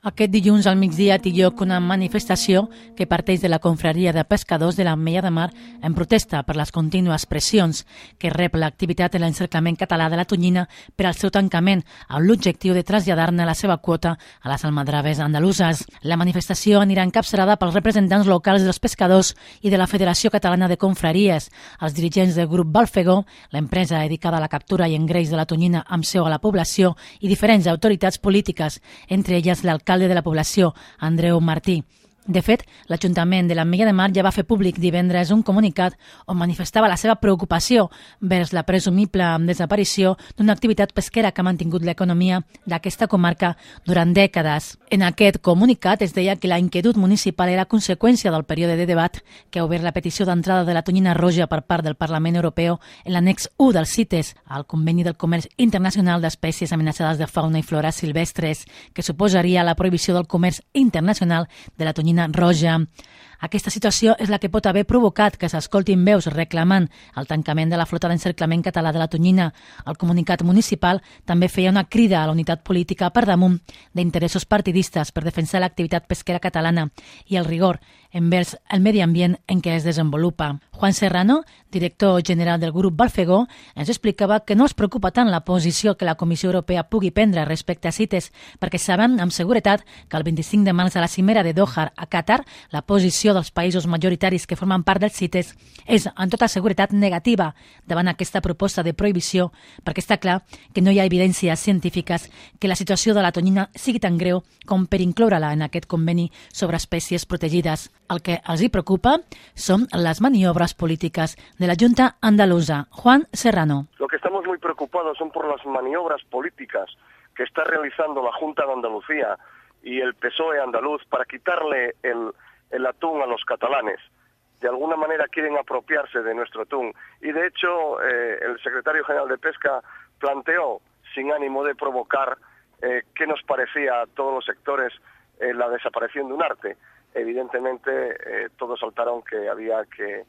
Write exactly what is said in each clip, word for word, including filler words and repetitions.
Aquest dilluns al migdia té lloc una manifestació que parteix de la confraria de pescadors de l'Ametlla de Mar en protesta per les contínues pressions que rep l'activitat de l'encerclament català de la tonyina per al seu tancament, amb l'objectiu de traslladar-ne la seva quota a les almadraves andaluses. La manifestació anirà encapçalada pels representants locals dels pescadors i de la Federació Catalana de Confraries, els dirigents del grup Balfegó, l'empresa dedicada a la captura i engreix de la tonyina amb seu a la població, i diferents autoritats polítiques, entre elles l'alcalde alcalde de la població, Andreu Martí. De fet, l'Ajuntament de l'Ametlla de Mar ja va fer públic divendres un comunicat on manifestava la seva preocupació vers la presumible desaparició d'una activitat pesquera que ha mantingut l'economia d'aquesta comarca durant dècades. En aquest comunicat es deia que la inquietud municipal era conseqüència del període de debat que ha obert la petició d'entrada de la tonyina roja per part del Parlament Europeu en l'annex u del CITES, al Conveni del Comerç Internacional d'Espècies Amenaçades de Fauna i Flora Silvestres, que suposaria la prohibició del comerç internacional de la tonyina roja. Aquesta situació és la que pot haver provocat que s'escoltin veus reclamant el tancament de la flota d'encerclament català de la tonyina. El comunicat municipal també feia una crida a la unitat política per damunt d'interessos partidistes per defensar l'activitat pesquera catalana i el rigor envers el medi ambient en què es desenvolupa. Juan Serrano, director general del grup Balfegó, ens explicava que no es preocupa tant la posició que la Comissió Europea pugui prendre respecte a CITES, perquè sabem amb seguretat que el vint-i-cinc de març a la cimera de Doha a Qatar, la posició dels països majoritaris que formen part del CITES és en tota seguretat negativa davant aquesta proposta de prohibició, perquè està clar que no hi ha evidències científiques que la situació de la tonyina sigui tan greu com per incloure-la en aquest conveni sobre espècies protegides. El que els hi preocupa són les maniobres polítiques de la Junta Andaluza. Juan Serrano. Lo que estamos muy preocupados son por las maniobras políticas que está realizando la Junta de Andalucía y el P S O E andaluz para quitarle el, el atún a los catalanes. De alguna manera quieren apropiarse de nuestro atún. Y de hecho, eh, el secretario general de Pesca planteó, sin ánimo de provocar, eh, qué nos parecía a todos los sectores eh, la desaparición de un arte. Evidentemente, eh, todos saltaron que había que,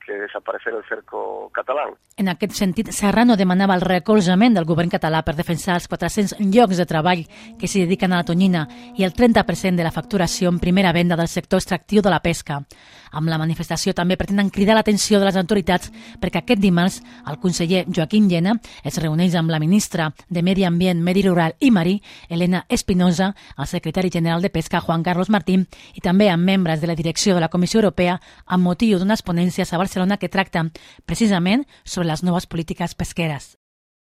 que desaparecer el cerco catalán. En aquest sentit, Serrano demanava el recolzament del govern català per defensar els quatre-cents llocs de treball que s'hi dediquen a la tonyina i el trenta per cent de la facturació en primera venda del sector extractiu de la pesca. Amb la manifestació també pretenen cridar l'atenció de les autoritats perquè aquest dimarts el conseller Joaquim Llena es reuneix amb la ministra de Medi Ambient, Medi Rural i Marí, Elena Espinosa, el secretari general de Pesca, Juan Carlos Martín, i també amb membres de la direcció de la Comissió Europea amb motiu d'unes ponències a Barcelona que tracten precisament sobre les noves polítiques pesqueres.